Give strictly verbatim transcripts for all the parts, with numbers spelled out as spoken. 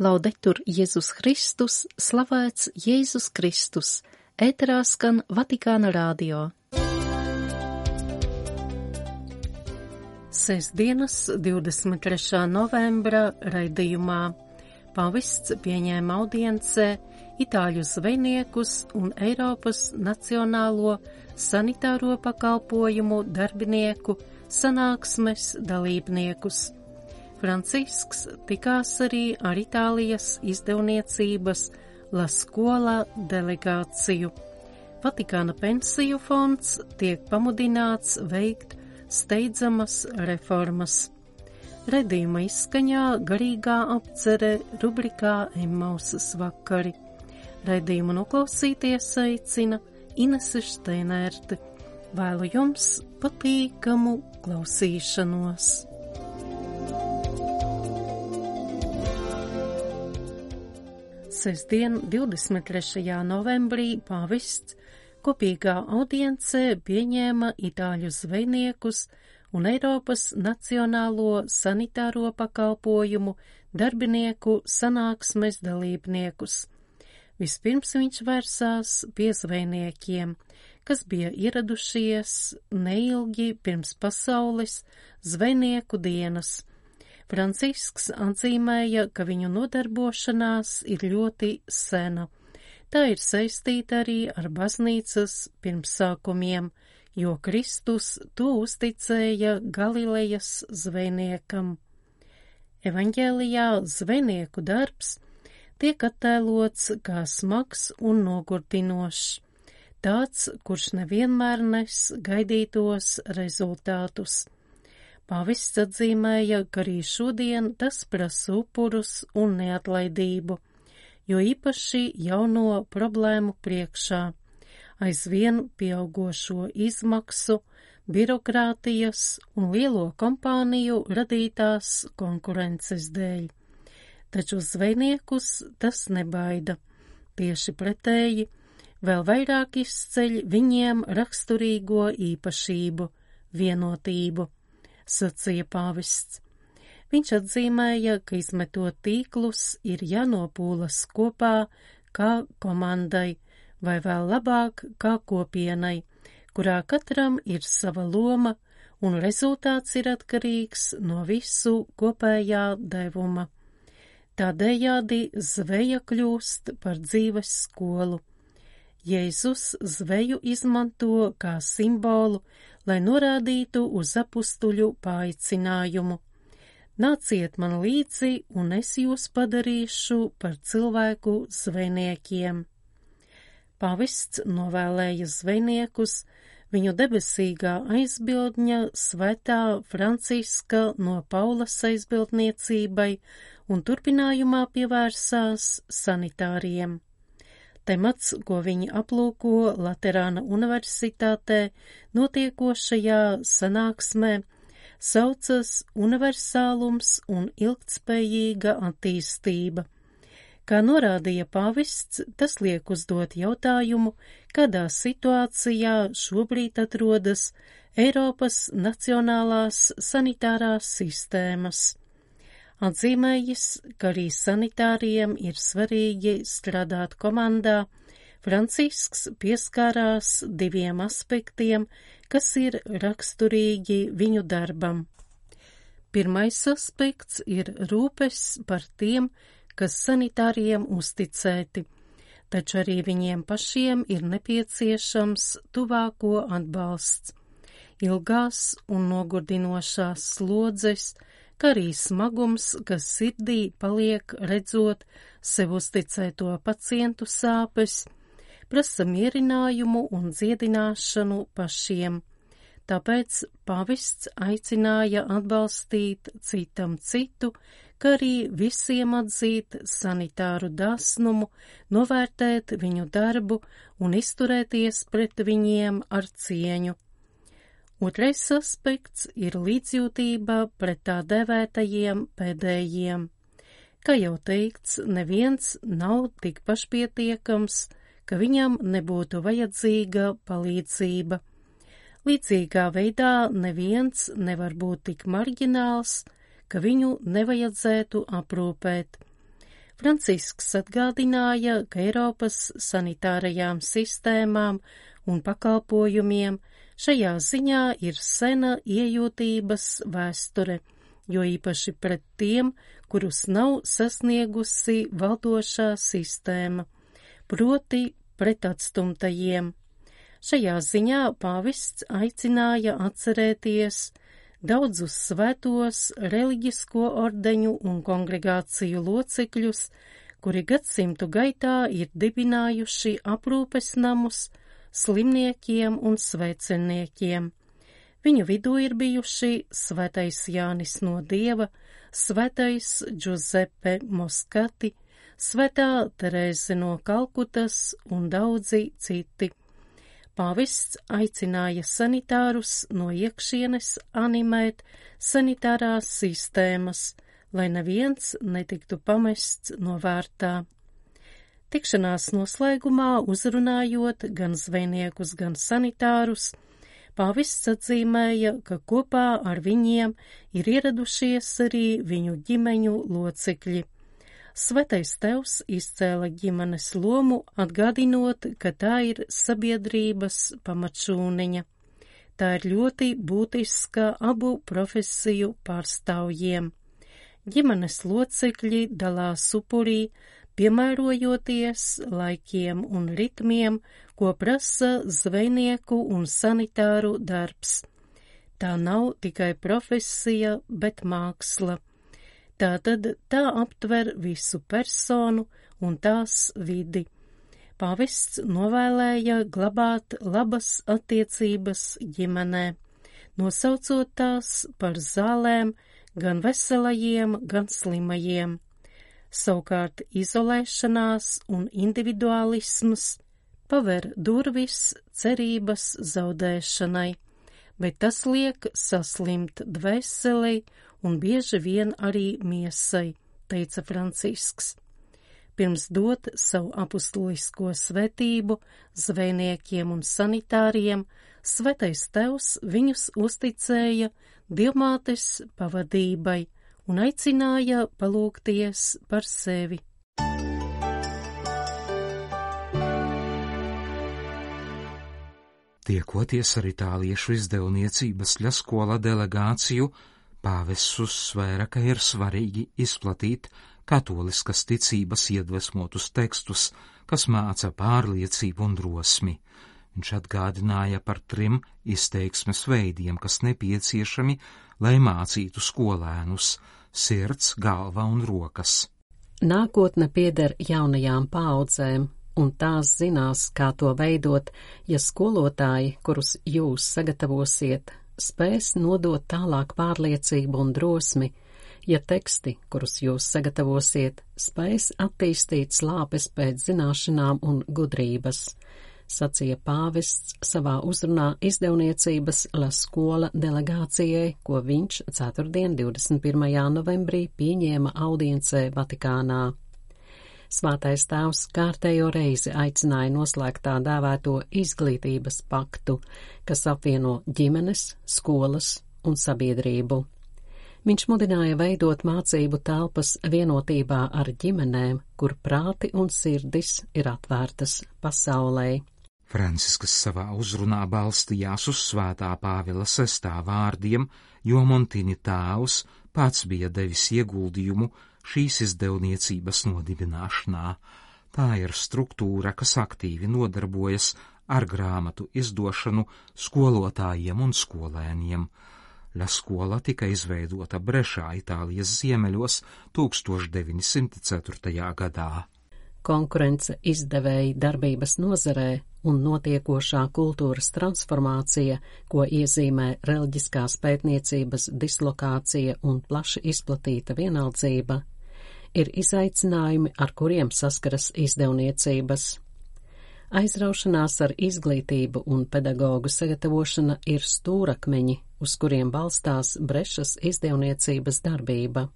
Laudetur Jēzus Kristus, slavēts Jēzus Kristus, ēterā skan Vatikāna radio. Sestdienas, divdesmit trešā novembra raidījumā pavests pieņēma audiencē itāļu zvejniekus un Eiropas Nacionālo sanitāro pakalpojumu darbinieku sanāksmes dalībniekus. Francisks tikās arī ar Itālijas izdevniecības La Scuola delegāciju. Vatikāna pensiju fonds tiek pamudināts veikt steidzamas reformas. Redījuma izskaņā garīgā apcere rubrikā Emmausas vakari. Redījumu noklausīties aicina Inese Šteinerte. Vēlu jums patīkamu klausīšanos. Sestdien, divdesmit trešajā novembrī, pavests kopīgā audiencē pieņēma itāļu zvejniekus un Eiropas Nacionālo sanitāro pakalpojumu darbinieku sanāksmes dalībniekus. Vispirms viņš vērsās pie zvejniekiem, kas bija ieradušies neilgi pirms pasaules zvejnieku dienas. Francisks atzīmēja, ka viņu nodarbošanās ir ļoti sena. Tā ir saistīta arī ar baznīcas pirmsākumiem, jo Kristus to uzticēja Galilejas zvejniekam. Evaņģēlijā zvejnieku darbs tiek attēlots kā smags un nogurdinošs, tāds, kurš nevienmēr nes gaidītos rezultātus. Pavests atzīmēja, ka arī šodien tas prasa upurus un neatlaidību, jo īpaši jauno problēmu priekšā, aizvien pieaugošo izmaksu, birokrātijas un lielo kompāniju radītās konkurences dēļ. Taču zvejniekus tas nebaida. Tieši pretēji, vēl vairāk izceļ viņiem raksturīgo īpašību – vienotību, sacīja pavests. Viņš atzīmēja, ka izmetot tīklus ir jānopūlas kopā kā komandai, vai vēl labāk kā kopienai, kurā katram ir sava loma un rezultāts ir atkarīgs no visu kopējā devuma. Tādējādi zveja kļūst par dzīves skolu. Jēzus zveju izmanto kā simbolu, lai norādītu uz apustuļu paaicinājumu. Nāciet man līdzi, un es jūs padarīšu par cilvēku zvejniekiem. Pavests novēlēja zvejniekus viņu debesīgā aizbildņa svētā Franciska no Paulas aizbildniecībai un turpinājumā pievērsās sanitāriem. Temats, ko viņi aplūko Laterāna universitātē notiekošajā sanāksmē, saucas universālums un ilgtspējīga attīstība. Kā norādīja pavests, tas liek uzdot jautājumu, kādā situācijā šobrīd atrodas Eiropas nacionālās sanitārās sistēmas. Atzīmējis, ka arī sanitāriem ir svarīgi strādāt komandā, Francisks pieskārās diviem aspektiem, kas ir raksturīgi viņu darbam. Pirmais aspekts ir rūpes par tiem, kas sanitāriem uzticēti, taču arī viņiem pašiem ir nepieciešams tuvāko atbalsts. Ilgās un nogurdinošās slodzes, kā arī smagums, kas sirdī paliek redzot sev uzticēto pacientu sāpes, prasa mierinājumu un dziedināšanu pašiem. Tāpēc pavests aicināja atbalstīt citam citu, kā arī visiem atzīt sanitāru dāsnumu, novērtēt viņu darbu un izturēties pret viņiem ar cieņu. Otrais aspekts ir līdzjūtība pret tā devētajiem pēdējiem. Kā jau teikts, neviens nav tik pašpietiekams, ka viņam nebūtu vajadzīga palīdzība. Līdzīgā veidā neviens nevar būt tik marģināls, ka viņu nevajadzētu aprūpēt. Francisks atgādināja, ka Eiropas sanitārajām sistēmām un pakalpojumiem šajā ziņā ir sena iejūtības vēsture, jo īpaši pret tiem, kurus nav sasniegusi valdošā sistēma, proti pret atstumtajiem. Šajā ziņā pāvests aicināja atcerēties daudzus svētos reliģisko ordeņu un kongregāciju locekļus, kuri gadsimtu gaitā ir dibinājuši aprūpes namus slimniekiem un sveceniekiem. Viņu vidū ir bijuši svētais Jānis no Dieva, svētais Giuseppe Moskati, svētā Terēze no Kalkutas un daudzi citi. Pāvests aicināja sanitārus no iekšienes animēt sanitārās sistēmas, lai neviens netiktu pamests novārtā. Tikšanās noslēgumā uzrunājot gan zvejniekus, gan sanitārus, pāvests atzīmēja, ka kopā ar viņiem ir ieradušies arī viņu ģimeņu locekļi. Svētais Tevs izcēla ģimenes lomu, atgādinot, ka tā ir sabiedrības pamatšūniņa. Tā ir ļoti būtiska abu profesiju pārstāvjiem. Ģimenes locekļi dalās upurī, piemērojoties laikiem un ritmiem, ko prasa zvejnieku un sanitāru darbs. Tā nav tikai profesija, bet māksla. Tātad tā aptver visu personu un tās vidi. Pāvests novēlēja glabāt labas attiecības ģimenē, nosaucot tās par zālēm gan veselajiem, gan slimajiem. Savukārt izolēšanās un individualisms paver durvis cerības zaudēšanai, bet tas liek saslimt dvēselei un bieži vien arī miesai, teica Francisks. Pirms dot savu apustulisko svētību zvejniekiem un sanitāriem, Svētais Tevs viņus uzticēja Dievmātes pavadībai un aicināja palūgties par sevi. Tiekoties ar itāliešu izdevniecības La Scuola delegāciju, pāvests uzsvēra, ka ir svarīgi izplatīt katoliskas ticības iedvesmotus tekstus, kas māca pārliecību un drosmi. Viņš atgādināja par trim izteiksmes veidiem, kas nepieciešami, lai mācītu skolēnus – sirds, galva un rokas. Nākotne pieder jaunajām paaudzēm, un tās zinās, kā to veidot, ja skolotāji, kurus jūs sagatavosiet, spēs nodot tālāk pārliecību un drosmi, ja teksti, kurus jūs sagatavosiet, spēs attīstīt slāpes pēc zināšanām un gudrības, sacīja pāvests savā uzrunā izdevniecības La Scuola delegācijai, ko viņš ceturtdien, divdesmit pirmajā novembrī pieņēma audiencē Vatikānā. Svētais Tēvs kārtējo reizi aicināja noslēgt tā dēvēto izglītības paktu, kas apvieno ģimenes, skolas un sabiedrību. Viņš mudināja veidot mācību telpas vienotībā ar ģimenēm, kur prāti un sirdis ir atvērtas pasaulē. Francisks savā uzrunā balstījās uz svētā Pāvila sestā vārdiem, jo Montini tēvs pats bija devis ieguldījumu šīs izdevniecības nodibināšanā. Tā ir struktūra, kas aktīvi nodarbojas ar grāmatu izdošanu skolotājiem un skolēniem. La Scuola tika izveidota Brešā, Itālijas ziemeļos, tūkstoš deviņi simti ceturtajā gadā. Konkurence izdevēja darbības nozarē un notiekošā kultūras transformācija, ko iezīmē reliģiskās pētniecības dislokācija un plaši izplatīta vienaldzība, ir izaicinājumi, ar kuriem saskaras izdevniecības. Aizraušanās ar izglītību un pedagogu sagatavošana ir stūrakmeņi, uz kuriem balstās Brešas izdevniecības darbība.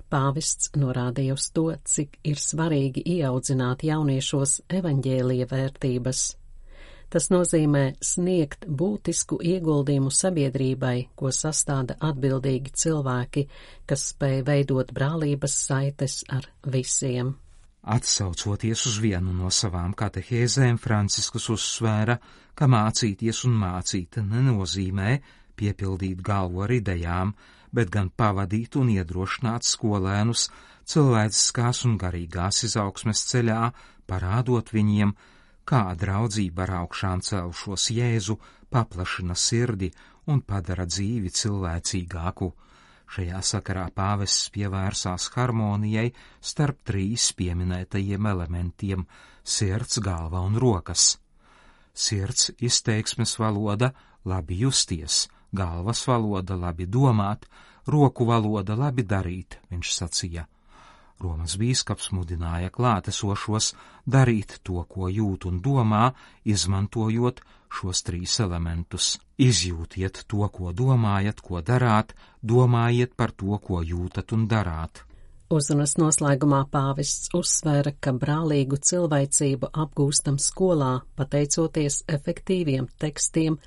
Pāvests norādīja uz to, cik ir svarīgi ieaudzināt jauniešos evaņģēlija vērtības. Tas nozīmē sniegt būtisku ieguldījumu sabiedrībai, ko sastāda atbildīgi cilvēki, kas spēj veidot brālības saites ar visiem. Atsaucoties uz vienu no savām katehēzēm, Franciskus uzsvēra, ka mācīties un mācīt nenozīmē piepildīt galvu ar idejām, bet gan pavadīt un iedrošināt skolēnus cilvēciskās un garīgās izaugsmes ceļā, parādot viņiem, kā draudzība ar augšām celšos Jēzu paplašina sirdi un padara dzīvi cilvēcīgāku. Šajā sakarā pāvests pievērsās harmonijai starp trīs pieminētajiem elementiem - sirds, galva un rokas. Sirds izteiksmes valoda labi justies, galvas valoda labi domāt, roku valoda labi darīt, viņš sacīja. Romas bīskaps mudināja klātesošos darīt to, ko jūt un domā, izmantojot šos trīs elementus. Izjūtiet to, ko domājat, ko darāt, domājiet par to, ko jūtat un darāt. Uzrunas noslēgumā pāvests uzsvēra, ka brālīgu cilvēcību apgūstam skolā, pateicoties efektīviem tekstiem,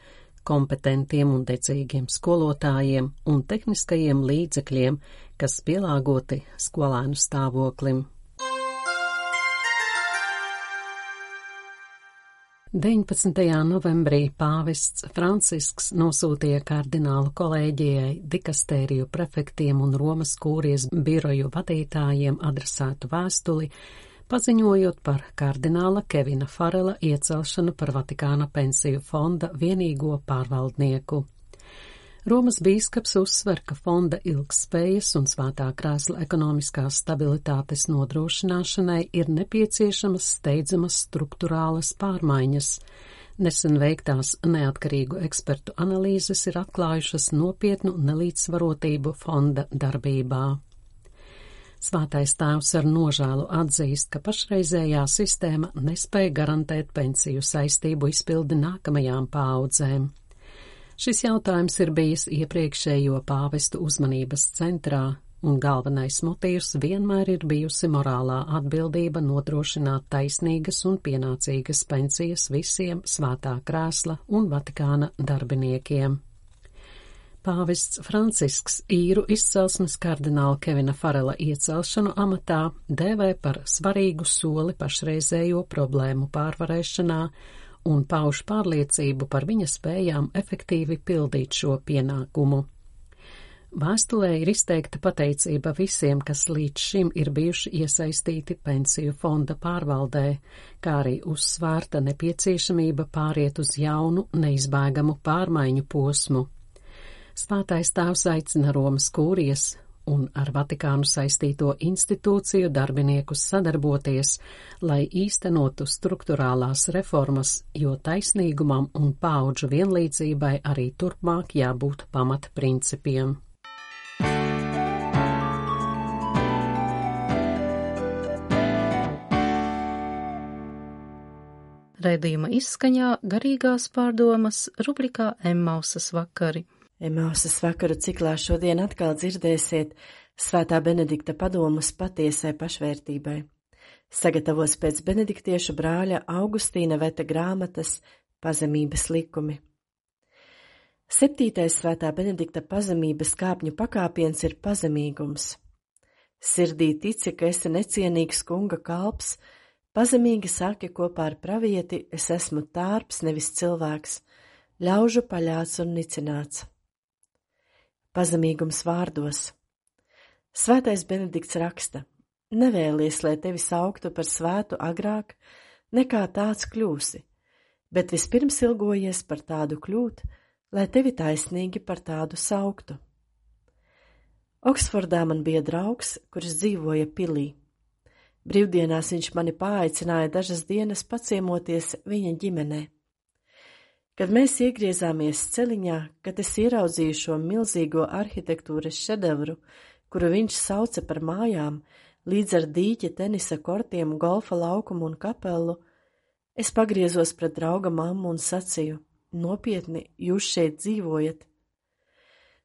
kompetentiem un dedzīgiem skolotājiem un tehniskajiem līdzekļiem, kas pielāgoti skolēnu stāvoklim. deviņpadsmitajā novembrī pāvests Francisks nosūtīja kardinālu kolēģijai, dikastēriju prefektiem un Romas kūrijas biroju vadītājiem adresētu vēstuli, paziņojot par kardināla Kevina Farela iecelšanu par Vatikāna pensiju fonda vienīgo pārvaldnieku. Romas bīskaps uzsver, ka fonda ilgspējas un svētā krēsla ekonomiskās stabilitātes nodrošināšanai ir nepieciešamas steidzamas struktūrālas pārmaiņas. Nesen veiktās neatkarīgu ekspertu analīzes ir atklājušas nopietnu nelīdzsvarotību fonda darbībā. Svētais tēvs ar nožēlu atzīst, ka pašreizējā sistēma nespēja garantēt pensiju saistību izpildi nākamajām paaudzēm. Šis jautājums ir bijis iepriekšējo pāvestu uzmanības centrā, un galvenais motīvs vienmēr ir bijusi morālā atbildība nodrošināt taisnīgas un pienācīgas pensijas visiem svētā krēsla un Vatikāna darbiniekiem. Pāvests Francisks īru izcelsmes kardināla Kevina Farela iecelšanu amatā dēvē par svarīgu soli pašreizējo problēmu pārvarēšanā un pauž pārliecību par viņa spējām efektīvi pildīt šo pienākumu. Vēstulē ir izteikta pateicība visiem, kas līdz šim ir bijuši iesaistīti pensiju fonda pārvaldē, kā arī uzsvērta nepieciešamība pāriet uz jaunu, neizbēgamu pārmaiņu posmu. Svētais tēvs aicina Romas kūrijas un ar Vatikānu saistīto institūciju darbiniekus sadarboties, lai īstenotu strukturālās reformas, jo taisnīgumam un paudžu vienlīdzībai arī turpmāk jābūt pamatprincipiem. Raidījuma izskaņā garīgās pārdomas rubrikā Emmausas vakari. Emmausas vakaru ciklā šodien atkal dzirdēsiet Svētā Benedikta padomus patiesai pašvērtībai. Sagatavos pēc benediktiešu brāļa Augustīna Veta grāmatas Pazemības likumi. Septītais Svētā Benedikta pazemības kāpņu pakāpiens ir pazemīgums. Sirdī tici, ka esi necienīgs kunga kalps, pazemīgi saki kopā ar pravieti, es esmu tārps, nevis cilvēks, ļaužu paļāts un nicināts. Pazemīgums vārdos. Svētais Benedikts raksta: nevēlies, lai tevi sauktu par svētu agrāk, nekā tāds kļūsi, bet vispirms ilgojies par tādu kļūt, lai tevi taisnīgi par tādu sauktu. Oksfordā man bija draugs, kurš dzīvoja pilī. Brīvdienās viņš mani paaicināja dažas dienas paciemoties viņa ģimenē. Kad mēs iegriezāmies celiņā, kad es ieraudzīju šo milzīgo arhitektūras šedevru, kuru viņš sauca par mājām, līdz ar dīķa, tenisa kortiem, golfa laukumu un kapelu, es pagriezos pret drauga mammu un sacīju: nopietni, jūs šeit dzīvojat?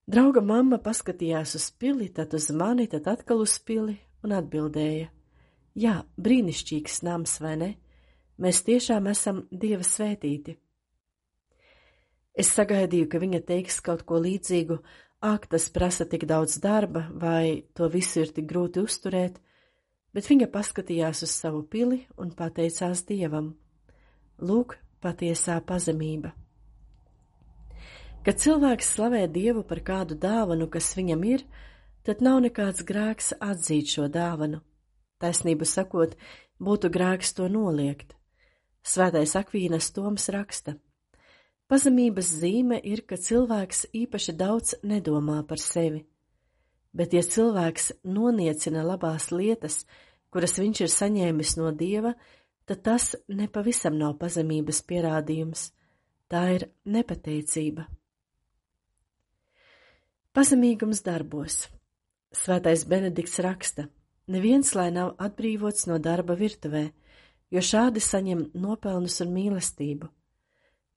Drauga mamma paskatījās uz pili, tad uz mani, tad atkal uz pili un atbildēja: jā, brīnišķīgs nams, vai ne? Mēs tiešām esam Dieva svētīti. Es sagaidīju, ka viņa teiks kaut ko līdzīgu, ak, tas prasa tik daudz darba, vai to visu ir tik grūti uzturēt, bet viņa paskatījās uz savu pili un pateicās Dievam. Lūk, patiesā pazemība. Kad cilvēks slavē Dievu par kādu dāvanu, kas viņam ir, tad nav nekāds grēks atzīt šo dāvanu. Taisnību sakot, būtu grēks to noliegt. Svētais Akvīnas Toms raksta: pazemības zīme ir, ka cilvēks īpaši daudz nedomā par sevi, bet ja cilvēks noniecina labās lietas, kuras viņš ir saņēmis no Dieva, tad tas nepavisam nav pazemības pierādījums, tā ir nepateicība. Pazemīgums darbos. Svētais Benedikts raksta: neviens lai nav atbrīvots no darba virtuvē, jo šādi saņem nopelnus un mīlestību.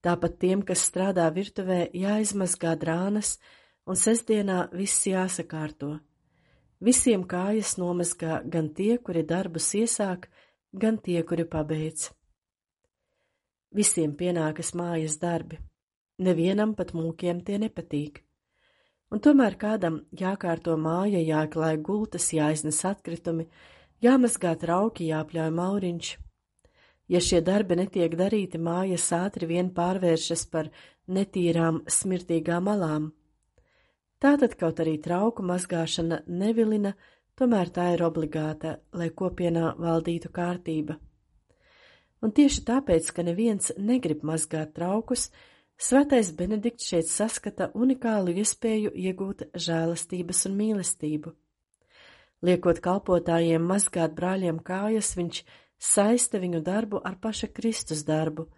Tāpat tiem, kas strādā virtuvē, jāizmazgā drānas, un sestdienā viss jāsakārto. Visiem kājas nomazgā gan tie, kuri darbus iesāk, gan tie, kuri pabeidz. Visiem pienākas mājas darbi, nevienam pat mūkiem tie nepatīk. Un tomēr kādam jākārto māja, jāklāj gultas, jāiznes atkritumi, jāmazgā trauki, jāpļauj mauriņš. Ja šie darbi netiek darīti, mājas ātri vien pārvēršas par netīrām, smirtīgām malām. Tātad kaut arī trauku mazgāšana nevilina, tomēr tā ir obligāta, lai kopienā valdītu kārtība. Un tieši tāpēc, ka neviens negrib mazgāt traukus, Svētais Benedikts šeit saskata unikālu iespēju iegūt žēlastības un mīlestību. Liekot kalpotājiem mazgāt brāļiem kājas, viņš saista viņu darbu ar paša Kristus darbu,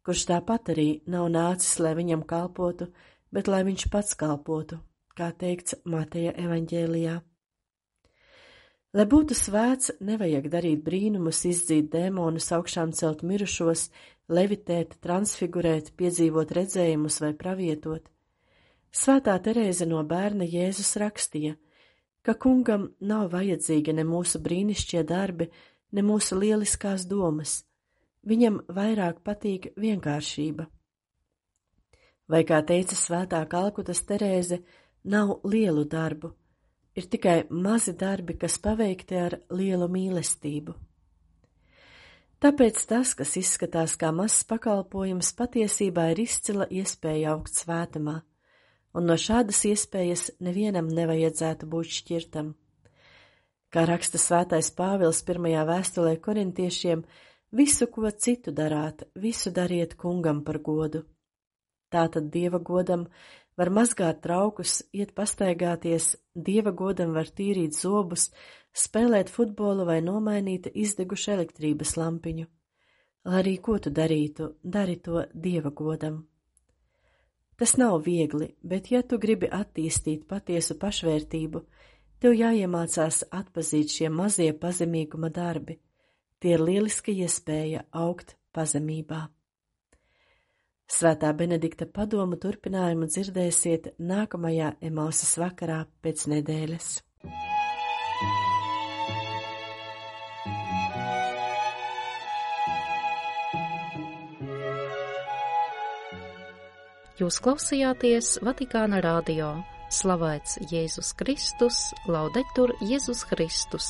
kurš tāpat arī nav nācis, lai viņam kalpotu, bet lai viņš pats kalpotu, kā teikts Mateja evaņģēlijā. Lai būtu svēts, nevajag darīt brīnumus, izdzīt dēmonus, augšām celt mirušos, levitēt, transfigurēt, piedzīvot redzējumus vai pravietot. Svētā Terēze no Bērna Jēzus rakstīja, ka kungam nav vajadzīgi ne mūsu brīnišķie darbi, ne mūsu lieliskās domas. Viņam vairāk patīk vienkāršība. Vai, kā teica svētā Kalkutas Terēze, nav lielu darbu, ir tikai mazi darbi, kas paveikti ar lielu mīlestību. Tāpēc tas, kas izskatās kā mazs pakalpojums, patiesībā ir izcila iespēja augt svētumā, un no šādas iespējas nevienam nevajadzētu būt šķirtam. Kā raksta svētais Pāvils pirmajā vēstulē korintiešiem, visu, ko citu darāt, visu dariet kungam par godu. Tātad Dieva godam var mazgāt traukus, iet pastaigāties, Dieva godam var tīrīt zobus, spēlēt futbolu vai nomainīt izdegušu elektrības lampiņu. Lai arī ko tu darītu, dari to Dieva godam. Tas nav viegli, bet ja tu gribi attīstīt patiesu pašvērtību, tev jāiemācās atpazīt šie mazie pazemīguma darbi. Tie ir lieliska iespēja augt pazemībā. Svētā Benedikta padomu turpinājumu dzirdēsiet nākamajā Emausas vakarā pēc nedēļas. Jūs klausījāties Vatikāna radio. Slavēts Jēzus Kristus, laudetur Jēzus Kristus.